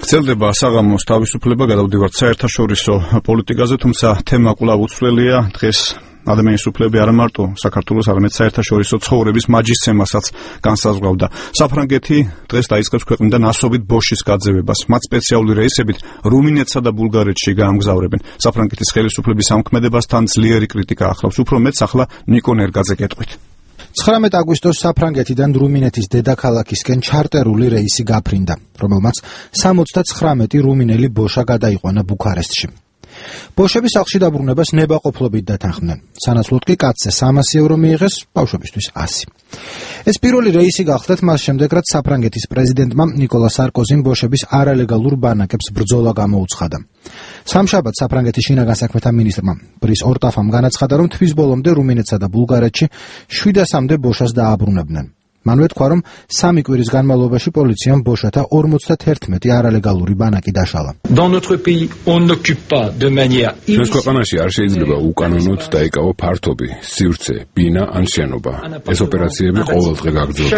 გრძელდება საღამოს თავისუფლება, გადავდივართ საერთაშორისო პოლიტიკაზე, თუმცა თემა კვლავ უცვლელია. დღეს ადამიანის უფლებები არა მარტო საქართველოს, არამედ საერთაშორისო ცხოვრების მაჯისცემასაც განსაზღვრავდა. საფრანგეთი დღეს დაიწყებს ქვეყნიდან ასობით ბოშის გაძევებას. მათ სპეციალური რეისებით რუმინეთსა და ბულგარეთში გაამგზავრებენ. საფრანგეთის ხელისუფლების ამქმედებასთან ძლიერი კრიტიკა ახლავს. უფრო მეტს ახლა ნიკო ნერგაძე გეტყვით. 19 აგვისტოს საფრანგეთიდან რუმინეთის დედაქალაქისკენ ჩარტერული რეისი გაფრინდა, რომელმაც 79 რუმინელი ბოშა გადაიყვანა ბუქარესტში. ბოშების სახლში დაბრუნებას ნებაყოფლობით დათანხმდნენ. სანაცვლოდ კი კაცზე 300 ევრო მიიღეს, ბავშვებისთვის 100. ეს პირველი რეისი გახდათ მას შემდეგ, რაც საფრანგეთის პრეზიდენტმა ნიკოლა სარკოზიმ ბოშების არალეგალურ ბანაკებს ბრძოლა გამოუცხადა. სამშაბათს საფრანგეთის შინაგან საქმეთა მინისტრმა ბრის ორტაფამ განაცხადა, რომ თვის ბოლომდე რუმინეთსა და ბულგარეთში 700-მდე ბოშას დააბრუნებდნენ. მანვე თქვა, რომ 3 კვირის განმავლობაში პოლიციამ ბოშათა 51 არალეგალური ბანაკი დაშალა. ჩვენს ქვეყანაში არ შეიძლება უკანონოდ დაიკავო ფართობი, სივრცე, ბინა ან შენობა. ეს ოპერაციები ყოველდღე გაგრძელდება.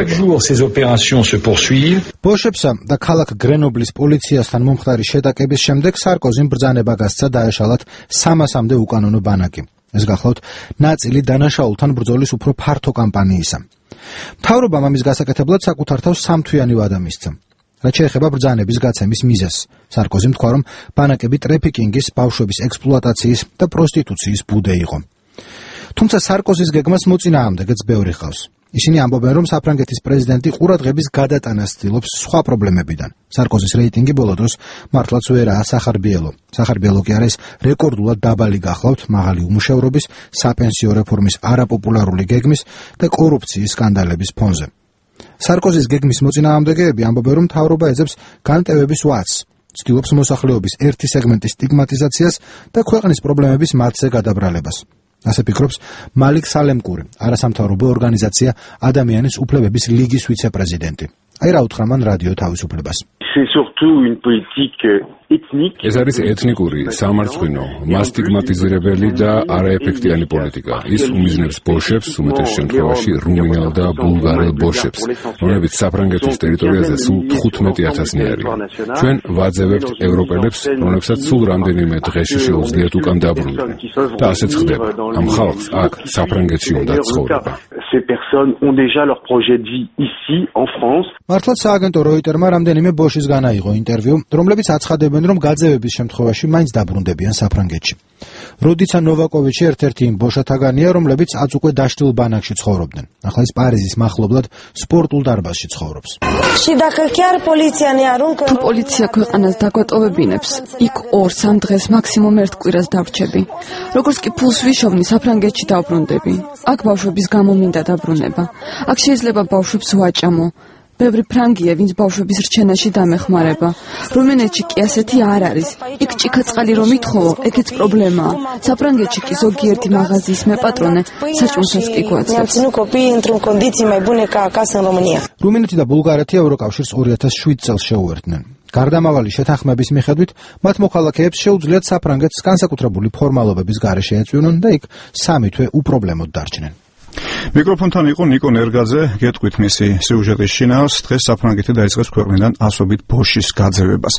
ბოშებსა და ქალაქ გრენობლის პოლიციასთან მომხდარი შეტაკების შემდეგ სარკოზიმ ბრძანება გასცა დაეშალათ 300-მდე უკანონო ბანაკი. ეს გახლავთ ნაწილი დანაშაულთან ბრძოლის უფრო ფართო კამპანიისა. მთავრობამ ამის გასაკეთებლად საკუთარ თავს 3 თვიანი ვადა მისცა. რაც შეეხება ბრძანების გაცემის მიზეზს, სარკოზიმ თქვა, რომ ბანაკები ტრეფიკინგის, ბავშვების ექსპლუატაციის და პროსტიტუციის ბუდე იყო. თუმცა სარკოზის გეგმას მოწინააღმდეგეც ბევრი ჰყავს. ისინი ამბობენ, რომ საფრანგეთის პრეზიდენტი ყურადღების გადატანას ცდილობს სხვა პრობლემებიდან. სარკოზის რეიტინგი ბოლო დროს მართლაც ვერაა სახარბიელო. სახარბიელო კი არის რეკორდულად დაბალი გახლავთ მაღალი უმუშევრობის, საპენსიო რეფორმის არაპოპულარული გეგმის და კორუფციის სკანდალების ფონზე. სარკოზის გეგმის მოწინააღმდეგეები ამბობენ, რომ მთავრობა ეძებს განტევების ვაცს, ცდილობს მოსახლეობის ერთი სეგმენტის სტიგმატიზაციას და ქვეყნის პრობლემების მათზე გადაბრალებას. ასე ფიქრობს მალიქ სალემკური, არასამთავრობო ორგანიზაცია ადამიანის უფლებების ლიგის ვიცე-პრეზიდენტი. აი რა უთხრა მან რადიო თავისუფლებას. ეს არის ეთნიკური, სამარცხვინო, მასტიგმატიზირებელი და არაეფექტიანი პოლიტიკა. ის უმიზნებს ბოშებს, უმეტეს შემთხვევაში რუმინელ და ბულგარელ ბოშებს, რომლებიც საფრანგეთის ტერიტორიაზე სულ 15,000-ნი არიან. ჩვენ ვაძევებთ ევროპელებს, რომლებსაც სულ რამდენიმე დღეში შეუძლიათ უკან დაბრუნდნენ. და ასეც ხდება. ამ ხალხს აქ საფრანგეთში უნდა ცხოვრება. მართლაც სააგენტო როიტერმა რამდენიმე ბოშის განაიღო ინტერვიუ, რომლებიც აცხადებენ, რომ გაძევების შემთხვევაში მაინც დაბრუნდებიან საფრანგეთში. როდიცა ნოვაკოვიჩი ერთ-ერთი იმ ბოშათაგანია, რომლებიც აწ უკვე დაშლილ ბანაკში ცხოვრობდნენ. ახლა ის პარიზის მახლობლად სპორტულ დარბაზში ცხოვრობს. თუ პოლიცია ქვეყანას დაგვატოვებინებს, იქ 2-3 დღეს მაქსიმუმ 1 კვირას დავრჩები. როგორც კი ფულს ვიშოვნი, საფრანგეთში დავბრუნდები. აქ ბავშვების გამო მინდა დაბრუნება. აქ შეიძლება ბავშვებს ვაჭამო. ბევრი ფრანგია, ვინც ბავშვების რჩენაში დამეხმარება. რუმინეთში კი ასეთი არ არის. იქ ჭიქაწყალი რომ ითხოვო, ეგეც პრობლემაა. საფრანგეთში კი ზოგიერთი მაღაზიის მეპატრონე საჭმელსაც კი გვაძლევს. რუმინეთი და ბულგარეთი ევროკავშირს 2007 წელს შეუერთდნენ. გარდამავალი შეთანხმების მიხედვით, მათ მოქალაქეებს შეუძლიათ საფრანგეთს განსაკუთრებული ფორმალობების გარეშე ეწვივნონ და იქ 3 თვე უპრობლემოდ დარჩნენ. მიკროფონთან იყო ნიკო ნერგაძე, გეტყვით მისი სიუჟეტის შინაარსს. დღეს საფრანგეთი დაიწყებს ქვეყნიდან ასობით ბოშის გაძევებას.